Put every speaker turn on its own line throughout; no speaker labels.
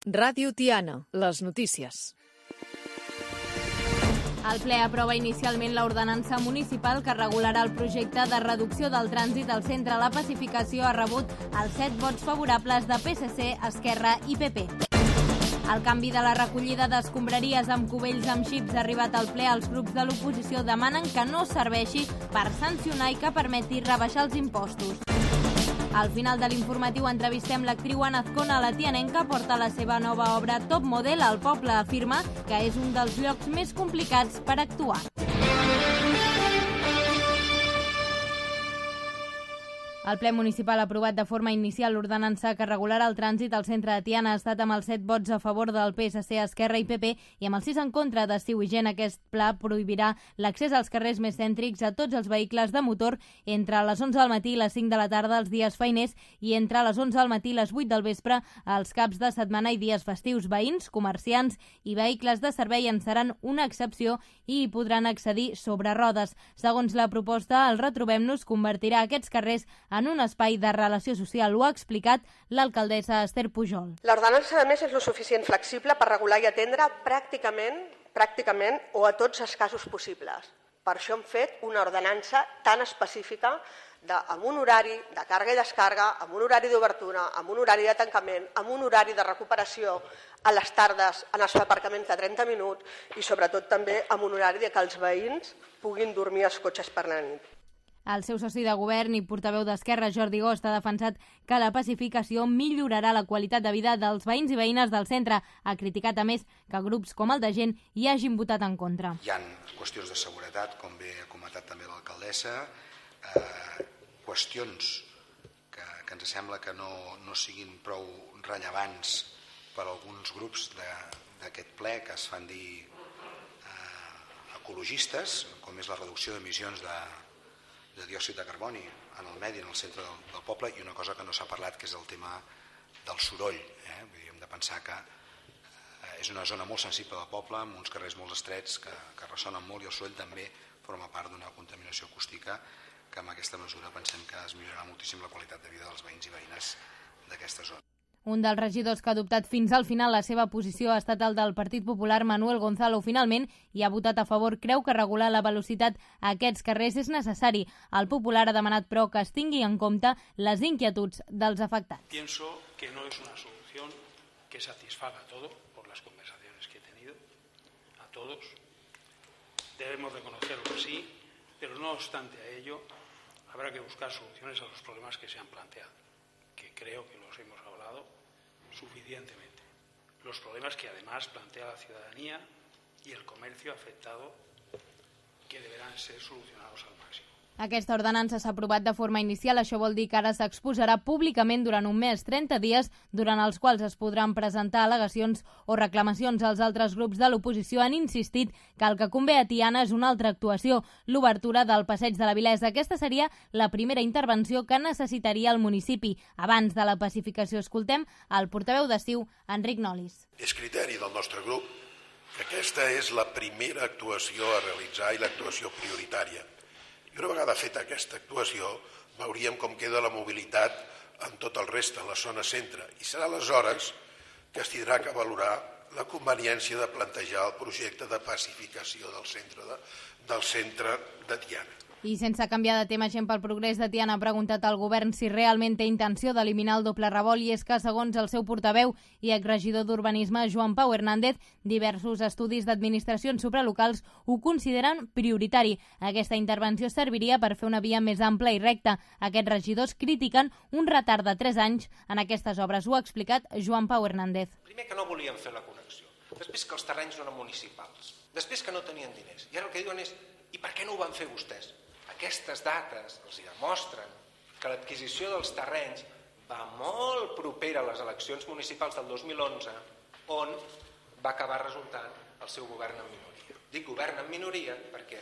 Ràdio Tiana, les notícies.
El ple aprova inicialment l'ordenança municipal que regularà el projecte de reducció del trànsit al centre. La pacificació ha rebut els 7 vots favorables de PSC, Esquerra i PP. El canvi de la recollida d'escombraries amb cubells amb xips ha arribat al ple. Els grups de l'oposició demanen que no serveixi per sancionar i que permeti rebaixar els impostos. Al final de l'informatiu entrevistem l'actriu Ana Azcona. La tianenca porta la seva nova obra Top Model al poble. Afirma que és un dels llocs més complicats per actuar. El ple municipal ha aprovat de forma inicial l'ordenança que regularà el trànsit al centre de Tiana. Ha estat amb els 7 vots a favor del PSC, Esquerra i PP i amb els 6 en contra de Ciu i Gent. Aquest pla prohibirà l'accés als carrers més cèntrics a tots els vehicles de motor entre les 11 del matí i les 5 de la tarda els dies feiners i entre les 11 del matí i les 8 del vespre als caps de setmana i dies festius. Veïns, comerciants i vehicles de servei en seran una excepció i hi podran accedir sobre rodes. Segons la proposta, el Retrobem-nos convertirà aquests carrers en un espai de relació social. Ho ha explicat l'alcaldessa Esther Pujol.
L'ordenança, a més, és lo suficient flexible per regular i atendre pràcticament o a tots els casos possibles. Per això hem fet una ordenança tan específica amb un horari de càrrega i descàrrega, amb un horari d'obertura, amb un horari de tancament, amb un horari de recuperació a les tardes en els aparcaments de 30 minuts i sobretot també amb un horari que els veïns puguin dormir als cotxes per la nit.
El seu soci de govern i portaveu d'Esquerra, Jordi Gost, ha defensat que la pacificació millorarà la qualitat de vida dels veïns i veïnes del centre. Ha criticat, a més, que grups com el de Gent hi hagin votat en contra.
Hi ha qüestions de seguretat, com bé ha comentat també l'alcaldessa, qüestions que ens sembla que no siguin prou rellevants per a alguns grups d'aquest ple que es fan dir ecologistes, com és la reducció d'emissions de diòxid de carboni en el medi, en el centre del poble, i una cosa que no s'ha parlat, que és el tema del soroll. Hem de pensar que és una zona molt sensible del poble, amb uns carrers molt estrets que ressonen molt, i el soroll també forma part d'una contaminació acústica que amb aquesta mesura pensem que es millorarà moltíssim la qualitat de vida dels veïns i veïnes d'aquesta zona.
Un dels regidors que ha adoptat fins al final la seva posició ha estat el del Partit Popular, Manuel Gonzalo. Finalment hi ha votat a favor. Creu que regular la velocitat a aquests carrers és necessari. El Popular ha demanat, però, que es tingui en compte les inquietuds dels afectats.
Pienso que no es una solución que satisfaga a todo, por las conversaciones que he tenido, a todos. Debemos reconocerlo así, pero no obstante a ello, habrá que buscar soluciones a los problemas que se han planteado, que creo que los hemos hablado suficientemente. Los problemas que además plantea la ciudadanía y el comercio afectado, que deberán ser solucionados al máximo.
Aquesta ordenança s'ha aprovat de forma inicial. Això vol dir que ara s'exposarà públicament durant un mes, 30 dies, durant els quals es podran presentar al·legacions o reclamacions. Els altres grups de l'oposició han insistit que el que convé a Tiana és una altra actuació, l'obertura del Passeig de la Vilesa. Aquesta seria la primera intervenció que necessitaria el municipi. Abans de la pacificació, escoltem el portaveu de CiU, Enric Nolis.
És criteri del nostre grup que aquesta és la primera actuació a realitzar i l'actuació prioritària. I una vegada feta aquesta actuació, veuríem com queda la mobilitat en tot el reste, en la zona centre. I serà aleshores que es tindrà que valorar la conveniència de plantejar el projecte de pacificació del centre de Tiana.
I sense canviar de tema, Gent pel Progrés de Tiana ha preguntat al govern si realment té intenció d'eliminar el doble revolt, i és que, segons el seu portaveu i exregidor d'Urbanisme, Joan Pau Hernández, diversos estudis d'administracions supralocals ho consideren prioritari. Aquesta intervenció serviria per fer una via més ampla i recta. Aquests regidors critiquen un retard de 3 anys en aquestes obres. Ho ha explicat Joan Pau Hernández.
Primer, que no volien fer la connexió. Després, que els terrenys no eren municipals. Després, que no tenien diners. I ara el que diuen és: i per què no ho van fer vostès? Aquestes dates els demostren que l'adquisició dels terrenys va molt propera a les eleccions municipals del 2011, on va acabar resultant el seu govern en minoria. Dic govern en minoria perquè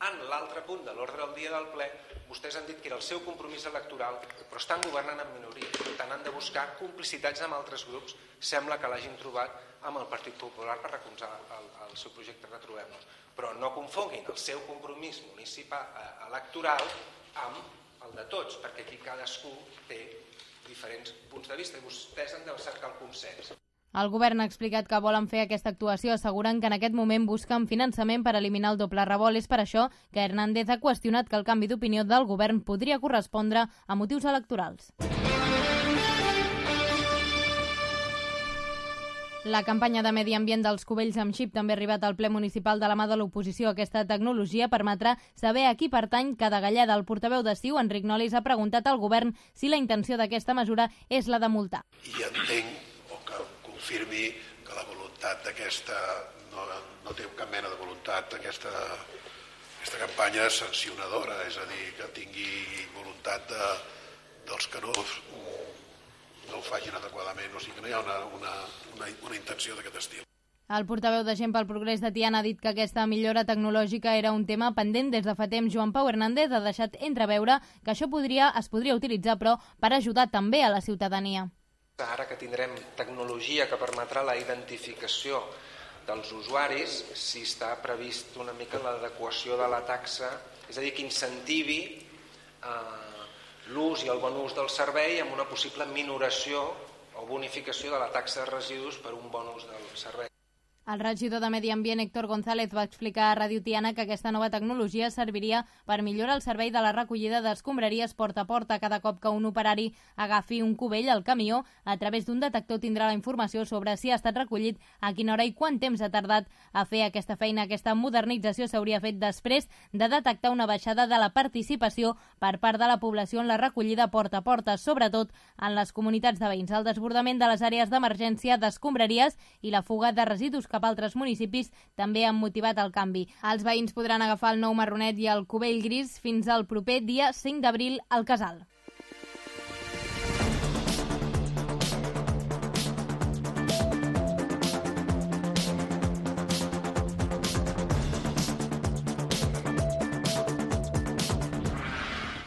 en l'altre punt de l'ordre del dia del ple vostès han dit que era el seu compromís electoral, però estan governant en minoria. Per tant, han de buscar complicitats amb altres grups. Sembla que l'hagin trobat amb el Partit Popular per recolzar el seu projecte Retrobem-nos. Però no confonguin el seu compromís municipal electoral amb el de tots, perquè aquí cadascú té diferents punts de vista i vostès han de cercar el consens.
El govern ha explicat que volen fer aquesta actuació, asseguren que en aquest moment busquen finançament per eliminar el doble revolt. És per això que Hernández ha qüestionat que el canvi d'opinió del govern podria correspondre a motius electorals. La campanya de medi ambient dels cubells amb xip també ha arribat al ple municipal de la mà de l'oposició. Aquesta tecnologia permetrà saber a qui pertany cada galleda. El portaveu de CiU, Enric Nolis, ha preguntat al govern si la intenció d'aquesta mesura és la de multar.
I entenc que confirmi que la voluntat d'aquesta no té cap mena de voluntat aquesta campanya sancionadora, és a dir, que tingui voluntat dels que no ho facin adequadament, o sigui que no hi ha una intenció d'aquest estil.
El portaveu de Gent pel Progrés de Tiana ha dit que aquesta millora tecnològica era un tema pendent des de fa temps. Joan Pau Hernández ha deixat entreveure que això es podria utilitzar, però per ajudar també a la ciutadania.
Ara que tindrem tecnologia que permetrà la identificació dels usuaris, si està previst una mica l'adequació de la taxa, és a dir, que incentivi l'ús i el bon ús del servei amb una possible minoració o bonificació de la taxa de residus per un bon ús del servei.
El regidor de Medi Ambient, Héctor González, va explicar a Ràdio Tiana que aquesta nova tecnologia serviria per millorar el servei de la recollida d'escombraries porta a porta. Cada cop que un operari agafi un cubell al camió, a través d'un detector tindrà la informació sobre si ha estat recollit, a quina hora i quant temps ha tardat a fer aquesta feina. Aquesta modernització s'hauria fet després de detectar una baixada de la participació per part de la població en la recollida porta a porta, sobretot en les comunitats de veïns. El desbordament de les àrees d'emergència d'escombraries i la fuga de residus cap a altres municipis també han motivat el canvi. Els veïns podran agafar el nou marronet i el cubell gris fins al proper dia 5 d'abril al Casal.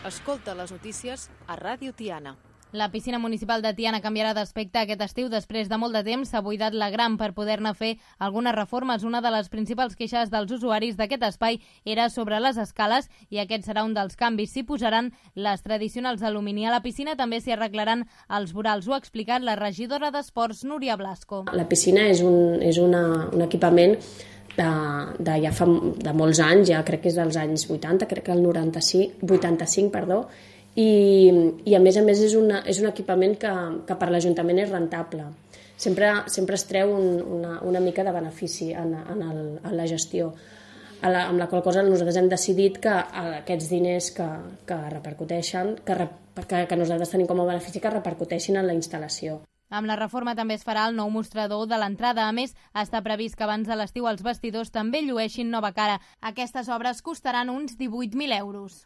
Escolta les notícies a Ràdio Tiana.
La piscina municipal de Tiana canviarà d'aspecte aquest estiu. Després de molt de temps s'ha buidat la gran per poder-ne fer algunes reformes. Una de les principals queixes dels usuaris d'aquest espai era sobre les escales i aquest serà un dels canvis. S'hi posaran les tradicionals d'alumini. A la piscina també s'hi arreglaran els vorals. Ho ha explicat la regidora d'Esports, Núria Blasco.
La piscina és un equipament de molts anys, ja crec que és dels anys 80, crec que el 85, perdó, i a més és un equipament que per l'Ajuntament és rentable. Sempre es treu una mica de benefici en la gestió, amb la qual cosa nosaltres hem decidit que aquests diners que repercuteixen, que nosaltres tenim com a benefici, que repercuteixin en la instal·lació.
Amb la reforma també es farà el nou mostrador de l'entrada. A més, està previst que abans de l'estiu els vestidors també llueixin nova cara. Aquestes obres costaran uns 18.000 euros.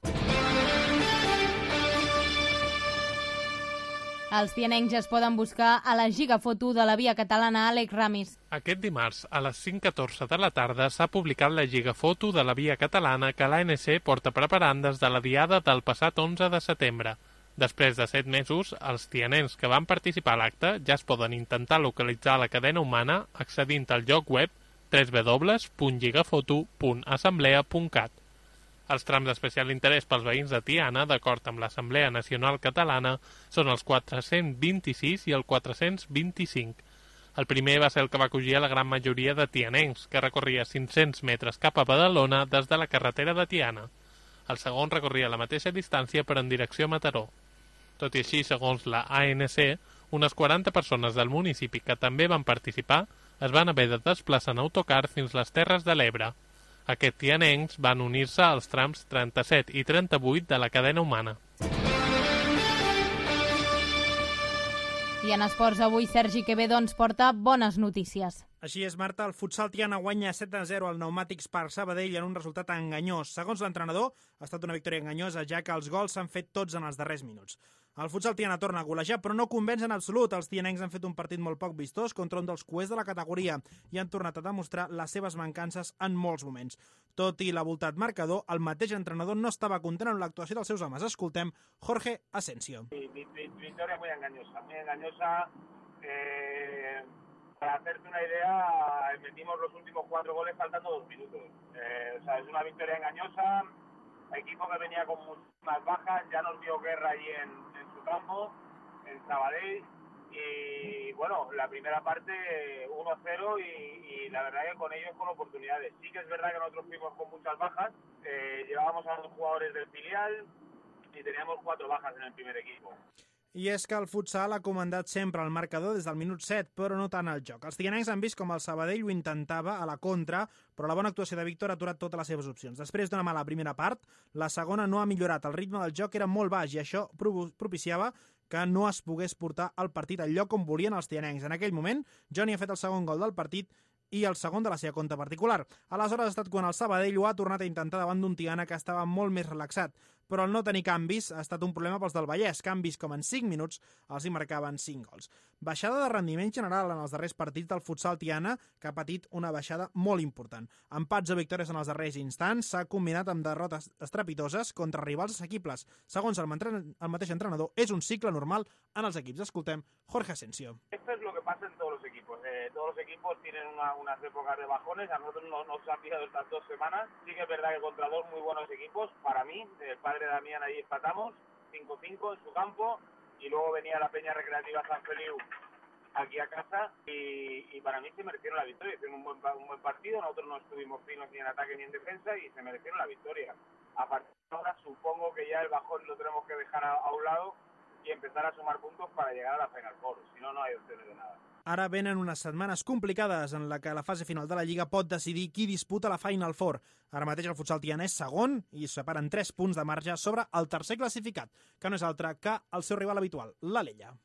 Els tianencs es poden buscar a la gigafoto de la Via Catalana. Àlex Ramis.
Aquest dimarts, a les 5:14 de la tarda, s'ha publicat la gigafoto de la Via Catalana que l'ANC porta preparant des de la diada del passat 11 de setembre. Després de 7 mesos, els tianencs que van participar a l'acte ja es poden intentar localitzar la cadena humana accedint al lloc web www.gigafoto.assemblea.cat. Els trams d'especial interès pels veïns de Tiana, d'acord amb l'Assemblea Nacional Catalana, són els 426 i el 425. El primer va ser el que va acollir a la gran majoria de tianencs, que recorria 500 metres cap a Badalona des de la carretera de Tiana. El segon recorria la mateixa distància però en direcció a Mataró. Tot i així, segons la ANC, unes 40 persones del municipi que també van participar es van haver de desplaçar en autocar fins les Terres de l'Ebre. Aquests tianencs van unir-se als trams 37 i 38 de la cadena humana.
I en esports avui Sergi Quevedo ens porta bones notícies.
Així és, Marta, el futsal Tiana guanya 7-0 al Pneumàtics Parc Sabadell en un resultat enganyós. Segons l'entrenador, ha estat una victòria enganyosa, ja que els gols s'han fet tots en els darrers minuts. El futsal Tiana torna a golejar, però no convenç en absolut. Els tianencs han fet un partit molt poc vistós contra un dels cuers de la categoria i han tornat a demostrar les seves mancances en molts moments. Tot i l'abultat marcador, el mateix entrenador no estava content amb l'actuació dels seus homes. Escoltem Jorge Asensio.
Victoria muy engañosa. Para hacerte una idea, metimos los últimos 4 goles faltando 2 minutos. Es una victoria engañosa. Equipo que venía con muchas bajas, ya nos dio guerra allí en su campo, en Sabadell. Y bueno, la primera parte 1-0 y la verdad que con ellos con oportunidades. Sí que es verdad que nosotros fuimos con muchas bajas, llevábamos a 2 jugadores del filial i teníamos 4 bajas en el primer equipo.
I és que el futsal ha comandat sempre el marcador des del minut 7, però no tant el joc. Els tianencs han vist com el Sabadell ho intentava a la contra, però la bona actuació de Víctor ha aturat totes les seves opcions. Després d'una mala primera part, la segona no ha millorat. El ritme del joc era molt baix i això propiciava que no es pogués portar el partit al lloc on volien els tianencs. En aquell moment, Johnny ha fet el segon gol del partit i el segon de la seva compte particular. Aleshores ha estat quan el Sabadell ho ha tornat a intentar davant d'un Tiana que estava molt més relaxat, però el no tenir canvis ha estat un problema pels del Vallès, canvis com en 5 minuts els hi marcaven 5 gols. Baixada de rendiment general en els darrers partits del futsal Tiana, que ha patit una baixada molt important. Empats o victòries en els darrers instants s'ha combinat amb derrotes estrepitoses contra rivals assequibles. Segons el mateix entrenador, és un cicle normal en els equips. Escoltem Jorge Asensio.
Esto es lo que pasa en todos los equipos. Todos los equipos tienen unas épocas de bajones. A nosotros nos han pillado estas 2 semanas. Sí que es verdad que contra 2 muy buenos equipos, para mí, el padre de Damián ahí empatamos, 5-5 en su campo, y luego venía la Peña Recreativa San Feliu aquí a casa, y para mí se merecieron la victoria. Hicieron un buen partido, nosotros no estuvimos finos ni en ataque ni en defensa, y se merecieron la victoria. A partir de ahora supongo que ya el bajón lo tenemos que dejar a un lado y empezar a sumar puntos para llegar a la Final Four, si no, no hay opciones de nada.
Ara venen unes setmanes complicades en la que la fase final de la Lliga pot decidir qui disputa la Final Four. Ara mateix el futsal Tiana és segon i separen 3 punts de marge sobre el tercer classificat, que no és altre que el seu rival habitual, l'Alella.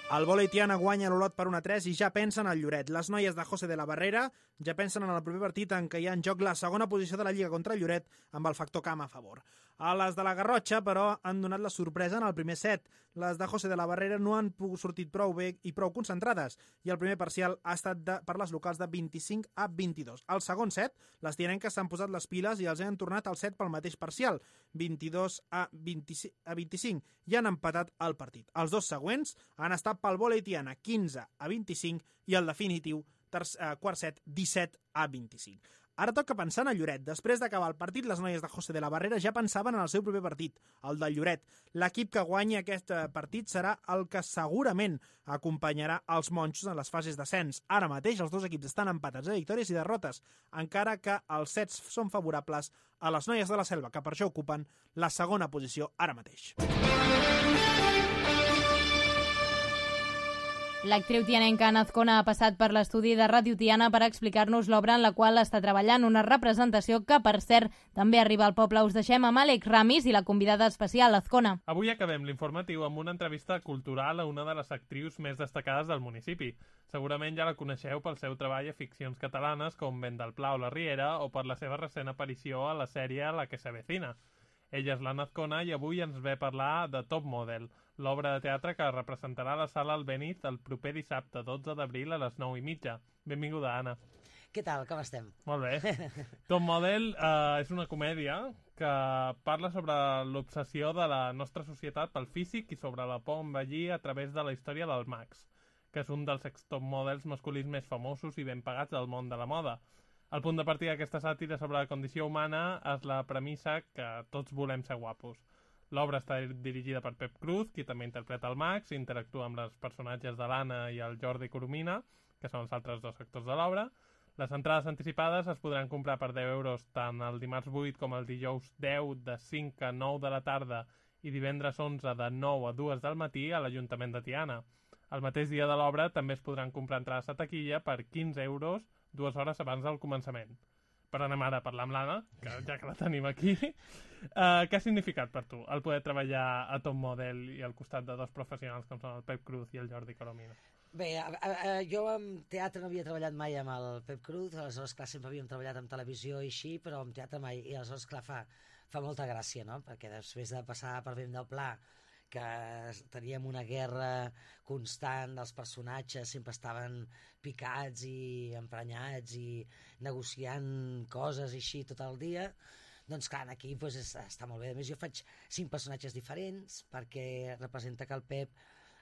El vòlei Tiana guanya l'Olot per 1-3 i ja pensen al Lloret. Les noies de José de la Barrera ja pensen en el proper partit en què hi ha en joc la segona posició de la Lliga contra el Lloret amb el factor camp a favor. A les de la Garrotxa, però, han donat la sorpresa en el primer set. Les de José de la Barrera no han sortit prou bé i prou concentrades i el primer parcial ha estat per les locals de 25-22. Al segon set, les tianenques s'han posat les piles i els han tornat al set pel mateix parcial, 22-25, i han empatat el partit. Els 2 següents han estat pel vòlei Tiana, 15-25, i el definitiu, quart set, 17-25. Ara toca pensar en el Lloret. Després d'acabar el partit, les noies de José de la Barrera ja pensaven en el seu proper partit, el del Lloret. L'equip que guanyi aquest partit serà el que segurament acompanyarà els monjos en les fases d'ascens. Ara mateix els 2 equips estan empatats a victòries i derrotes, encara que els sets són favorables a les noies de la Selva, que per això ocupen la segona posició ara mateix.
L'actriu tianenca Ana Azcona ha passat per l'estudi de Ràdio Tiana per explicar-nos l'obra en la qual està treballant, una representació que, per cert, també arriba al poble. Us deixem amb Àlex Ramis i la convidada especial, Azcona.
Avui acabem l'informatiu amb una entrevista cultural a una de les actrius més destacades del municipi. Segurament ja la coneixeu pel seu treball a ficcions catalanes com Vent del Pla o La Riera o per la seva recent aparició a la sèrie La que se avecina. Ella és l'Anna Azcona i avui ens ve a parlar de Top Model, l'obra de teatre que representarà a la Sala Albéniz el proper dissabte 12 d'abril a les 9:30. Benvinguda, Anna.
Què tal, com estem?
Molt bé. Top Model és una comèdia que parla sobre l'obsessió de la nostra societat pel físic i sobre la por a envellir a través de la història del Max, que és un dels ex-top models masculins més famosos i ben pagats del món de la moda. El punt de partida d'aquesta sàtira sobre la condició humana és la premissa que tots volem ser guapos. L'obra està dirigida per Pep Cruz, qui també interpreta el Max, interactua amb els personatges de l'Anna i el Jordi Coromina, que són els altres 2 actors de l'obra. Les entrades anticipades es podran comprar per 10 euros tant el dimarts 8 com el dijous 10 de 5 a 9 de la tarda i divendres 11 de 9 a 2 del matí a l'Ajuntament de Tiana. El mateix dia de l'obra també es podran comprar entrades a taquilla per 15 euros 2 hores abans del començament. Per anem ara a parlar amb l'Anna, ja que la tenim aquí. Què ha significat per tu el poder treballar a Top Model i al costat de 2 professionals com són el Pep Cruz i el Jordi Coromina?
Bé, jo en teatre no havia treballat mai amb el Pep Cruz, aleshores, clar, sempre havíem treballat en televisió i així, però en teatre mai, i aleshores, clar, fa molta gràcia, no? Perquè després de passar per Vent del Pla, que teníem una guerra constant, els personatges sempre estaven picats i emprenyats i negociant coses i així tot el dia, doncs clar, aquí doncs, està molt bé. A més, jo faig 5 personatges diferents perquè representa que el Pep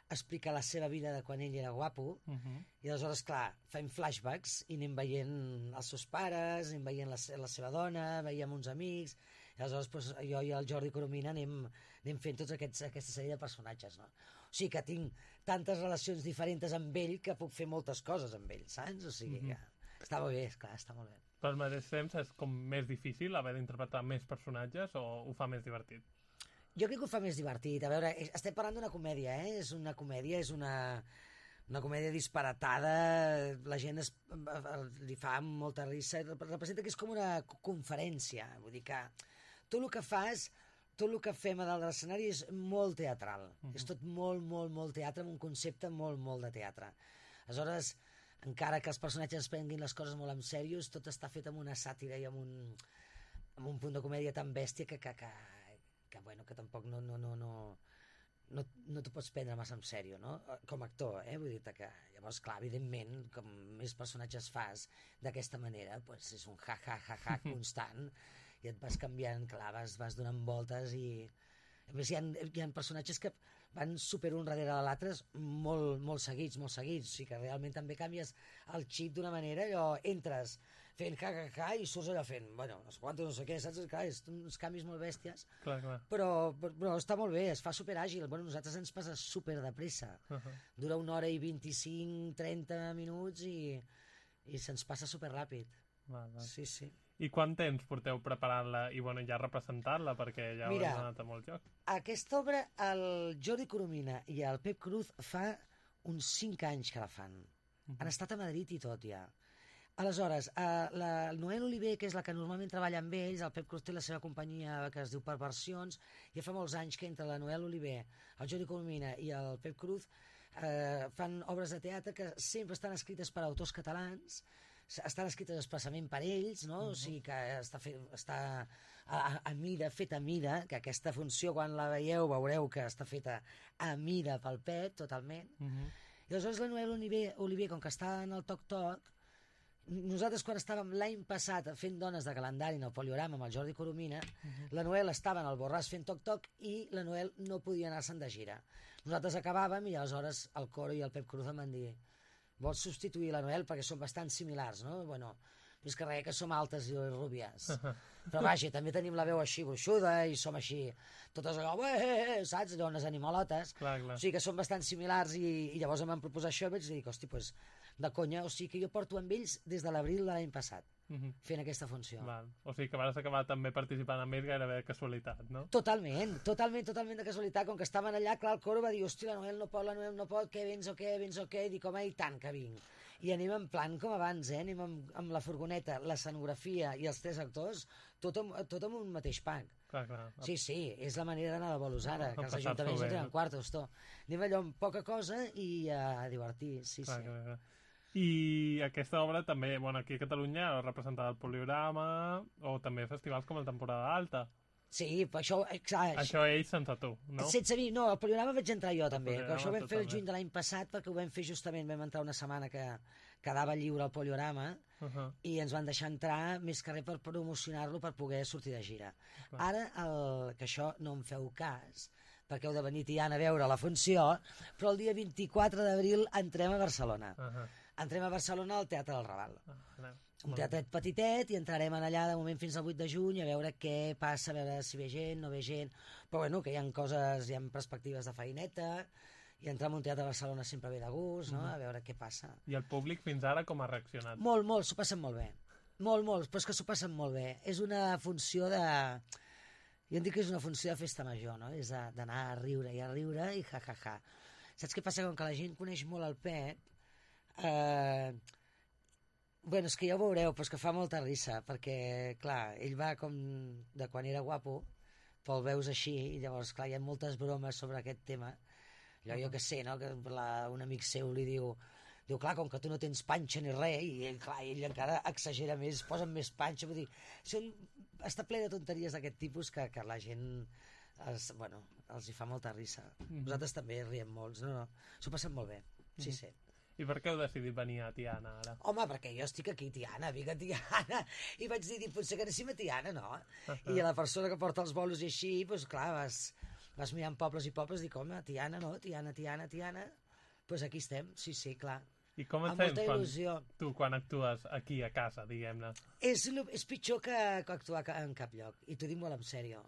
explica la seva vida de quan ell era guapo i aleshores, clar, fem flashbacks i anem veient els seus pares, anem veient la seva dona, veiem uns amics I aleshores doncs, jo i el Jordi Coromina anem fent tota aquesta sèrie de personatges, no? O sigui que tinc tantes relacions diferents amb ell que puc fer moltes coses amb ell, saps? O sigui que està molt bé, esclar, està molt bé.
Però al mateix temps és com més difícil haver d'interpretar més personatges o ho fa més divertit?
Jo crec que ho fa més divertit. A veure, estem parlant d'una comèdia, eh? És una comèdia, és una comèdia disparatada, la gent li fa molta risa, representa que és com una conferència, vull dir que tot el que fas, tot el que fem a dalt de l'escenari és molt teatral, és tot molt teatre, amb un concepte molt de teatre. Aleshores, encara que els personatges es prenguin les coses molt en sèrio, tot està fet amb una sàtira i amb un punt de comèdia tan bèstia que bueno, que tampoc no t'ho pots prendre massa en sèrio, no? Com a actor, vull dir-te que llavors, clar, evidentment, com més personatges fas d'aquesta manera, doncs és un ha constant i et vas canviant, clar, vas donant voltes i a més hi ha personatges que van super un darrere de l'altre molt seguits, o sigui que realment també canvies el xip d'una manera, allò entres fent ha i surts allò fent, bueno, no sé què, saps? Clar, és uns canvis molt bèsties,
clar.
Però està molt bé, es fa super àgil, bueno, nosaltres ens passa super de pressa, dura 1 hora i 25-30 minuts i se'ns passa super ràpid. Sí.
I quant temps porteu preparant-la i bueno, ja representant-la, perquè ja heu anat a molt joc?
Aquesta obra el Jordi Coromina i el Pep Cruz fa uns 5 anys que la fan. Han estat a Madrid i tot ja. Aleshores, el Noel Oliver, que és la que normalment treballa amb ells, el Pep Cruz té la seva companyia que es diu Perversions, ja fa molts anys que entre la Noel Oliver, el Jordi Coromina i el Pep Cruz fan obres de teatre que sempre estan escrites per autors catalans, estan escrites expressament per ells, no? O sigui que està a mida, feta a mida, que aquesta funció quan la veieu veureu que està feta a mida pel Pep, totalment. I aleshores la Noel Oliver, com que està en el toc-toc, nosaltres quan estàvem l'any passat fent Dones de calendari en el Poliorama amb el Jordi Coromina, la Noel estava en el Borràs fent toc-toc i la Noel no podia anar-se'n de gira. Nosaltres acabàvem i aleshores el Coro i el Pep Cruz em van dir vols substituir la Noel perquè són bastant similars, no? Bueno, és que res, que som altes i rúbies. Però vaja, també tenim la veu així gruixuda i som així, totes allò, saps? Allò, unes animalotes.
Clar.
O sigui que són bastant similars i llavors em van proposar això i vaig dir, hosti, doncs, de conya, o sigui que jo porto amb ells des de l'abril de l'any passat, fent aquesta funció.
Val. O sigui que vas acabar també participant amb ells gairebé de casualitat, no?
Totalment de casualitat, com que estaven allà, clar, el Coro va dir, hosti, la Noel no pot, què, vens o què, i dic, home, i tant que vinc. I anem en plan com abans, anem amb la furgoneta, l'escenografia i els 3 actors, tot amb un mateix pack.
Clar.
Sí, és la manera d'anar de bolos ara, que els ajuntaments no tenen quartos, anem allò amb poca cosa i a divertir, sí.
Clar. I aquesta obra també, bueno, aquí a Catalunya representada al Poliorama o també festivals com el Temporada Alta.
Sí, però això...
Això ells sense tu, no?
Sense mi, no, al Poliorama vaig entrar jo també. Això ho vam fer el juny de l'any passat perquè ho vam fer justament, vam entrar una setmana que quedava lliure al Poliorama i ens van deixar entrar més que res per promocionar-lo per poder sortir de gira. Ara, que això no em feu cas, perquè heu de venir Tiana a veure la funció, però el dia 24 d'abril entrem a Barcelona. Entrem a Barcelona al Teatre del Raval. Un teatret petitet i entrarem allà de moment fins al 8 de juny a veure què passa, a veure si ve gent, no ve gent, però bueno, que hi ha coses, hi ha perspectives de feineta i entrar en un teatre de Barcelona sempre ve de gust, no? A veure què passa.
I el públic fins ara com ha reaccionat?
Molt, s'ho passen molt bé. Molt, però és que s'ho passen molt bé. És una funció de... Jo en dic que és una funció de festa major, no? És d'anar a riure i ha. Saps què passa? Com que la gent coneix molt el Pep, bueno, és que ja ho veureu, però és que fa molta risa, perquè, clar, ell va com de quan era guapo, però el veus així, i llavors, clar, hi ha moltes bromes sobre aquest tema. Allò, jo que sé, no?, que un amic seu li diu, clar, com que tu no tens panxa ni res, i ell, clar, ell encara exagera més, posa més panxa, vull dir, està ple de tonteries d'aquest tipus que la gent, bueno, els hi fa molta risa. Nosaltres també riem molts, no, s'ho passen molt bé, sí.
I per què heu decidit venir a Tiana ara?
Home, perquè jo estic aquí a Tiana, vinc a Tiana, i vaig dir, potser que anéssim a Tiana, no? I a la persona que porta els bolos i així, doncs clar, vas mirant pobles i pobles, dic, home, Tiana, no? Tiana, doncs aquí estem, sí, clar.
I com et
amb molta
sents
il·lusió.
tu quan actues aquí a casa, diguem-ne?
És pitjor que actuar en cap lloc, i t'ho dic molt en sèrio,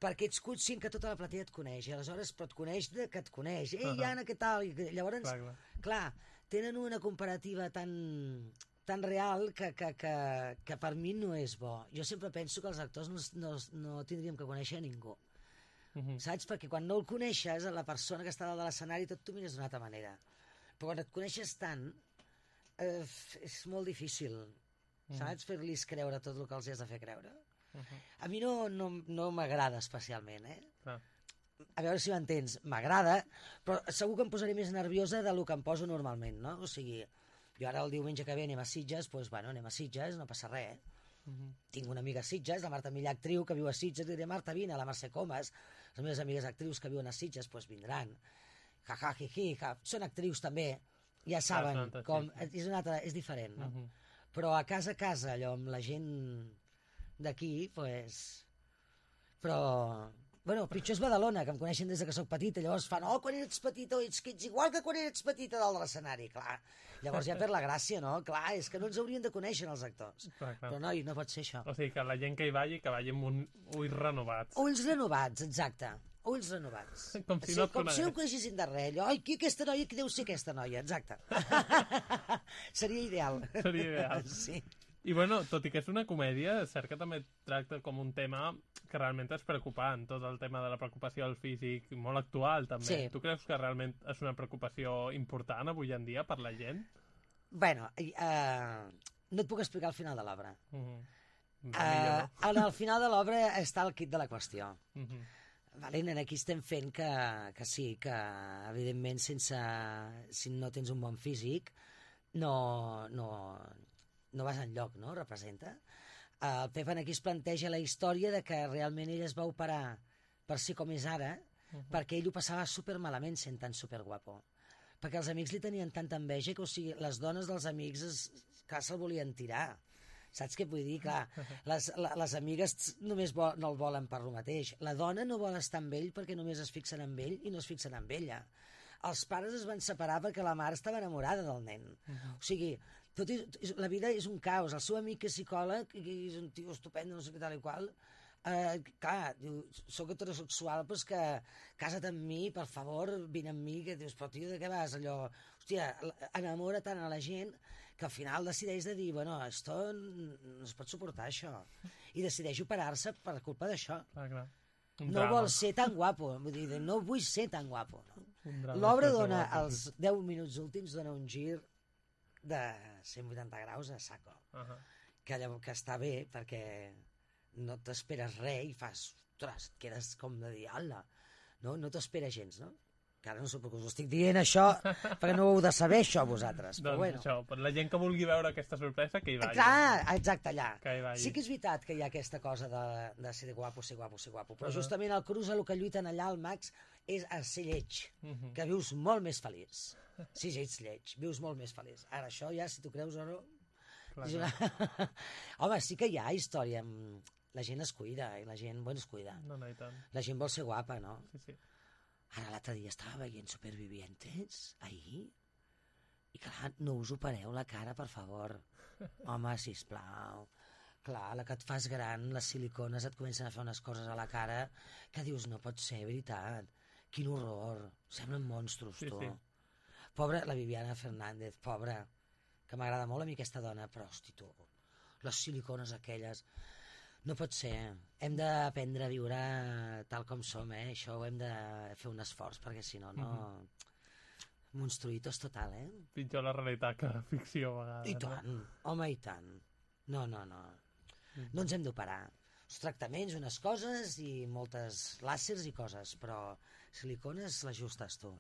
perquè ets conscient que tota la platea et coneix, i aleshores però et coneix que et coneix. Ei, Anna, què tal? I llavors, clar, tenen una comparativa tan real que per mi no és bo. Jo sempre penso que els actors no tindríem que conèixer a ningú. Saps? Perquè quan no el coneixes, la persona que està dalt de l'escenari tot t'ho mires d'una altra manera. Però quan et coneixes tant, és molt difícil, saps? Fer-los creure tot el que els has de fer creure. A mi no m'agrada especialment, A veure si m'entens. M'agrada, però segur que em posaré més nerviosa del que em poso normalment, no? O sigui, jo ara el diumenge que ve anem a Sitges, doncs, bueno, anem a Sitges, no passa res, Tinc una amiga a Sitges, la Marta Millà, actriu, que viu a Sitges, i diré, Marta, vine, la Mercè Comas, les meves amigues actrius que viuen a Sitges, doncs vindran. Són actrius també, ja saben com... És diferent, no? Però a casa, allò, amb la gent d'aquí, doncs... Però... Bueno, pitjor és Badalona, que em coneixen des que soc petita, llavors fan, quan eres petita, ets igual que quan eres petita dalt de l'escenari, clar. Llavors ja per la gràcia, no? Clar, és que no ens haurien de conèixer els actors. Però noi, no pot ser això.
O sigui, que la gent que hi vagi amb ulls renovats.
Ulls renovats, exacte. Ulls renovats.
Com si no
ho coneixessin de res. Ai, qui aquesta noia, qui deu ser aquesta noia? Exacte. Seria ideal.
Seria ideal.
Sí.
I bueno, tot i que és una comèdia, és cert que també tracta com un tema que realment és preocupant, tot el tema de la preocupació al físic, molt actual també.
Sí.
Tu creus que realment és una preocupació important avui en dia per la gent?
Bueno, no et puc explicar el final de l'obra. Al final de l'obra està el kit de la qüestió. Valent, aquí estem fent que sí, que evidentment si no tens un bon físic no vas enlloc, no? Representa. El Pep aquí es planteja la història de que realment ell es va operar per ser com és ara, perquè ell ho passava supermalament sent tan superguapo. Perquè els amics li tenien tanta enveja que, o sigui, les dones dels amics clar, se'l volien tirar. Saps què vull dir? Clar, les amigues només no el volen per lo mateix. La dona no vol estar amb ell perquè només es fixen en ell i no es fixen en ella. Els pares es van separar perquè la mare estava enamorada del nen. O sigui, la vida és un caos. El seu amic que és psicòleg, i és un tio estupendo, no sé què tal i qual, clar, diu, soc heterosexual, però és que casa't amb mi, per favor, vine amb mi, que dius, però tio, de què vas? Allò, hòstia, enamora tant a la gent que al final decideix de dir, bueno, esto no es pot suportar, això. I decideix operar-se per culpa d'això. No vol ser tan guapo, vull dir, no vull ser tan guapo. L'obra dona, als 10 minuts últims, dona un gir de 180 graus a saco, que està bé perquè no t'esperes res i fas, ostres, et quedes com de dir, ala, no t'esperes gens, no? Que ara no sé per què us ho estic dient això, perquè no ho heu de saber això vosaltres, però bueno.
Això, per la gent que vulgui veure aquesta sorpresa, que hi vagi.
Clar, exacte, allà.
Sí
que és veritat que hi ha aquesta cosa de ser guapo, però justament el Cruz el que lluiten allà, el Max, és a ser lleig, que vius molt més feliç. Si ets lleig, vius molt més feliç. Ara això ja, si t'ho creus o no... Home, sí que hi ha història. La gent es cuida, i la gent, bueno, es cuida.
I tant.
La gent vol ser guapa, no?
Sí.
Ara l'altre dia estava veient Supervivientes, ahir, i clar, no us opereu la cara, per favor. Home, sisplau. Clar, la que et fas gran, les silicones et comencen a fer unes coses a la cara que dius, no pot ser, veritat. Quin horror. Semblen monstros, tu. Pobra, la Viviana Fernández, pobra, que m'agrada molt a mi aquesta dona, però, hosti, tu, les silicones aquelles... No pot ser. Hem d'aprendre a viure tal com som, Això ho hem de fer un esforç, perquè si no, monstruïtos total,
Pitjor la realitat que la ficció, a vegades.
I tant, home, i tant. No. No ens hem d'operar. Els tractaments, unes coses, i moltes làsers i coses, però silicones les justes, tu.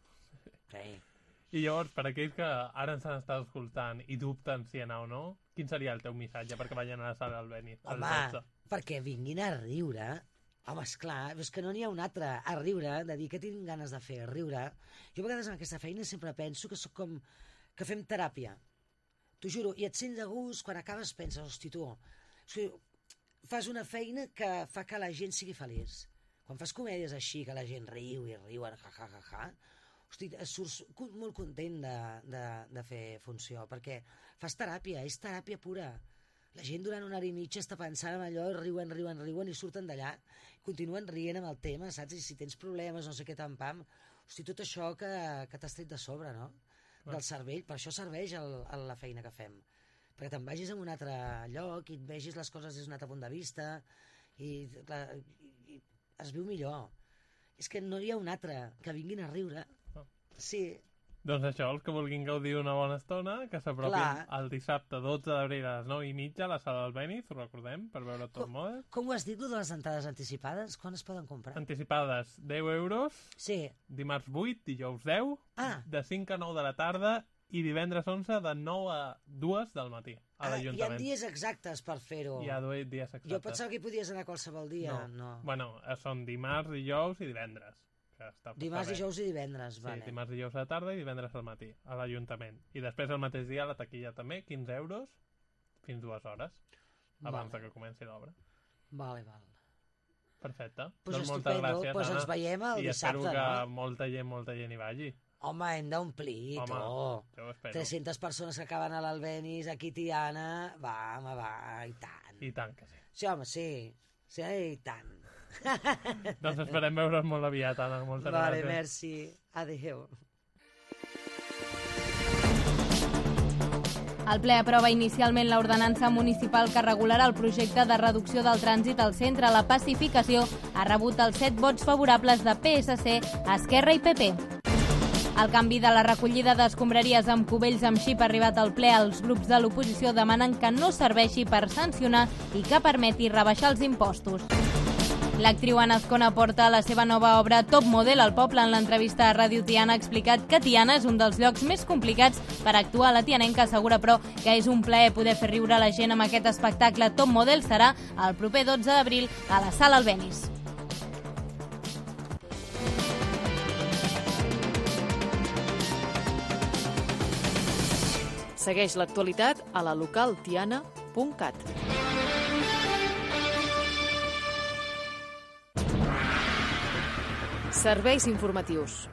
I llavors, per aquells que ara ens han estat escoltant i dubten si anar o no, quin seria el teu missatge perquè vagin a la sala del Beni?
Home, perquè vinguin a riure. Home, esclar, és que no n'hi ha un altre. A riure, de dir que tinc ganes de fer, riure. Jo a vegades en aquesta feina sempre penso que sóc com... que fem teràpia. T'ho juro, i et sents de gust, quan acabes penses, hosti, tu, fas una feina que fa que la gent sigui feliç. Quan fas comèdies així, que la gent riu i riuen, ja, hosti, surts molt content de fer funció, perquè fas teràpia, és teràpia pura. La gent durant una hora i mitja està pensant en allò, riuen i surten d'allà, continuen rient amb el tema, saps? I si tens problemes, no sé què, pam, hosti, tot això que t'has tret de sobre, no? Del cervell, per això serveix la feina que fem. Perquè te'n vagis a un altre lloc i et vegis les coses des d'un altre punt de vista i es viu millor. És que no hi ha un altre que vinguin a riure. Sí.
Doncs això, els que vulguin gaudir una bona estona, que s'apropin el dissabte 12 d'abril a les 9:30 a la sala del Benis, ho recordem, per veure Top Model.
Com ho has dit, de les entrades anticipades? Quan es poden comprar?
Anticipades, 10 euros,
sí.
Dimarts 8, dijous 10, de 5 a 9 de la tarda i divendres 11 de 9 a 2 del matí a l'Ajuntament.
Hi ha dies exactes per fer-ho.
Hi ha dies exactes.
Jo pensava que hi podies anar qualsevol dia. No.
Bueno, són dimarts, dijous i divendres.
Dimarts, dijous i divendres, vale.
Sí, dimarts, dijous a la tarda i divendres al matí, a l'Ajuntament. I després el mateix dia a la taquilla també, 15 euros, fins 2 hores, abans que comenci l'obra.
Vale.
Perfecte.
Pues
doncs moltes gràcies,
Anna. Ens veiem el dissabte,
espero que molta gent hi vagi.
Home, hem d'omplir,
jo ho espero.
300 persones que acaben a l'Albenis, aquí a Tiana, va, i tant.
I tant que sí.
Sí, home, sí, i tant.
Doncs esperem veure's molt aviat, Anna. Moltes gràcies.
Vale, merci. Adéu.
El ple aprova inicialment l'ordenança municipal que regularà el projecte de reducció del trànsit al centre. La pacificació ha rebut els 7 vots favorables de PSC, Esquerra i PP. El canvi de la recollida d'escombraries amb cubells amb xip ha arribat al ple. Els grups de l'oposició demanen que no serveixi per sancionar i que permeti rebaixar els impostos. L'actriu Anna Azcona porta la seva nova obra Top Model al poble. En l'entrevista a Ràdio Tiana ha explicat que Tiana és un dels llocs més complicats per actuar. La tianenca assegura, però, que és un plaer poder fer riure la gent amb aquest espectacle. Top Model serà el proper 12 d'abril a la Sala Albéniz.
Segueix l'actualitat a la localtiana.cat. Serveis informatius.